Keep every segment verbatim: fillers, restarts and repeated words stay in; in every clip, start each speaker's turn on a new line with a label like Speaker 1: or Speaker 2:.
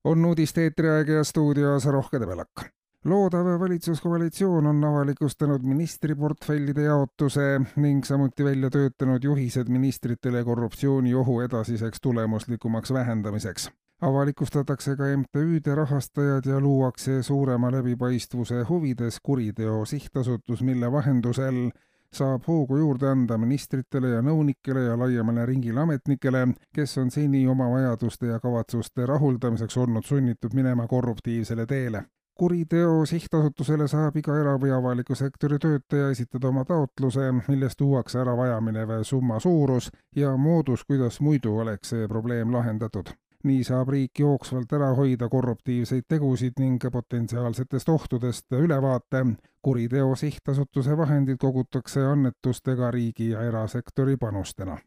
Speaker 1: On uudiste eetriaeg ja stuudios Rohke Debelak. Loodav valitsuskoalitsioon on avalikustanud ministriportfellide jaotuse ning samuti välja töötanud juhised ministritele korruptsiooniohu edasiseks tulemuslikumaks vähendamiseks. Avalikustatakse ka M T Üde rahastajad ja luuakse suurema läbipaistvuse huvides kuriteo sihtasutus, mille vahendusel saab hoogu juurde anda ministritele ja nõunikele ja laiemale ringile ametnikele, kes on seni oma vajaduste ja kavatsuste rahuldamiseks olnud sunnitud minema korruptiivsele teele. Kuriteo sihtasutusele saab iga era- või avaliku sektori töötaja esitada oma taotluse, milles tuuakse ära vajaminev summa suurus ja moodus, kuidas muidu oleks see probleem lahendatud. Nii saab riik jooksvalt ära hoida korruptiivseid tegusid ning potentsiaalsetest ohtudest ülevaate. Kuriteo sihtasutuse vahendid kogutakse annetustega riigi ja erasektori panustena.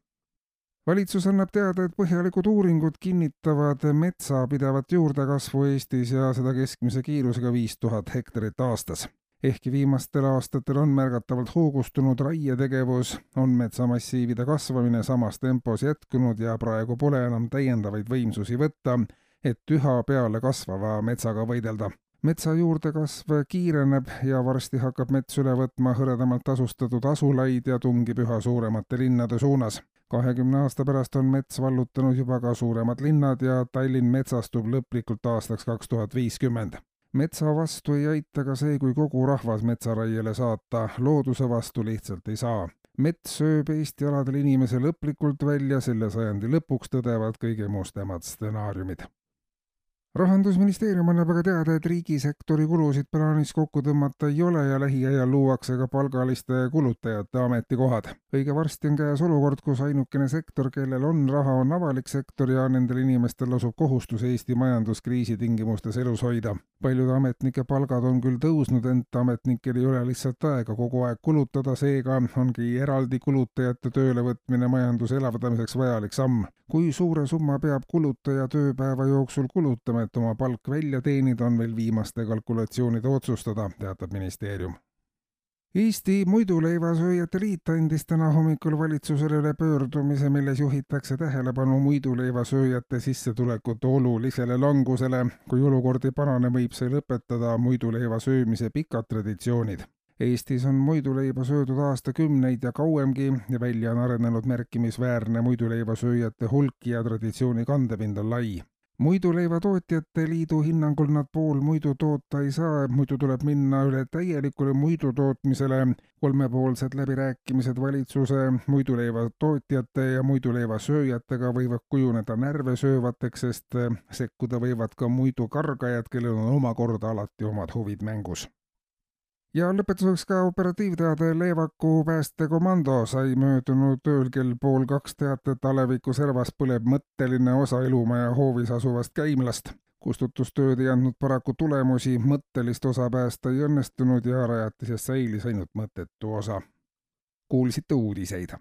Speaker 1: Valitsus annab teada, et põhjalikud uuringud kinnitavad metsa pidevat juurdekasvu Eestis ja seda keskmise kiirusega viis tuhat hektarit aastas. Ehkki viimastel aastatel on märgatavalt hoogustunud raietegevus, on metsamassiivide kasvamine samas tempos jätkunud ja praegu pole enam täiendavaid võimsusi võtta, et üha peale kasvava metsaga võidelda. Metsa juurdekasv kiireneb ja varsti hakkab mets üle võtma hõredamalt asustatud asulaid ja tungib üha suuremate linnade suunas. kahekümne aasta pärast on mets vallutanud juba ka suuremad linnad ja Tallinn metsastub lõplikult aastaks kaks tuhat viiskümmend. Metsa vastu ei aita ka see, kui kogu rahvas metsaraiele saata, looduse vastu lihtsalt ei saa. Mets sööb Eesti aladel inimese lõplikult välja, selle sajandi lõpuks tõdevad kõige mustemad stsenaariumid. Rahandusministeerium annab aga teada, et riigisektori kulusid plaanis kokku tõmmata ei ole ja lähiajal luuakse ka palgaliste kulutajate ametikohad. Õige varsti on käes olukord, kus ainukene sektor, kellel on raha, on avalik sektor ja nendel inimestel lasub kohustus Eesti majanduskriisi tingimustes elus hoida. Paljude ametnike palgad on küll tõusnud, ent ametnikel ei ole lihtsalt aega kogu aeg kulutada, seega ongi eraldi kulutajate töölevõtmine majanduse elavdamiseks vajalik samm. Kui suure summa peab kulutaja tööpäeva jooksul kulutama, et oma palk välja teenida, on veel viimaste kalkulatsioonide otsustada, teatab ministeerium. Eesti Muiduleivasööjate Liit andis täna hommikul valitsusele üle pöördumise, milles juhitakse tähelepanu muiduleivasööjate sissetulekute olulisele langusele. Kui olukord ei parane, võib see lõpetada muiduleiva söömise pikad traditsioonid. Eestis on muiduleiba söödud aastakümneid ja kauemgi ja välja on arenenud märkimisväärne muiduleivasööjate hulk ja traditsiooni kandepind on lai. Muiduleivatootjate liidu hinnangul nad pool muidu toota ei saa, muidu tuleb minna üle täielikule muidutootmisele. Kolmepoolsed läbirääkimised valitsuse, muiduleivatootjate ja muiduleivasööjatega võivad kujuneda närve söövateks, sest sekkuda võivad ka muidukargajad, kellel on omakorda alati omad huvid mängus. Ja lõpetuseks ka operatiivteade Leevaku päästekomando sai möödunud ööl kell pool kaks teatet Aleviku servas põleb mõtteline osa elumaja hoovis asuvast käimlast. Kustutustööd ei andnud paraku tulemusi, mõttelist osa päästa ei õnnestunud ja rajatisest säilis ainult mõttetu osa. Kuulsite uudiseid.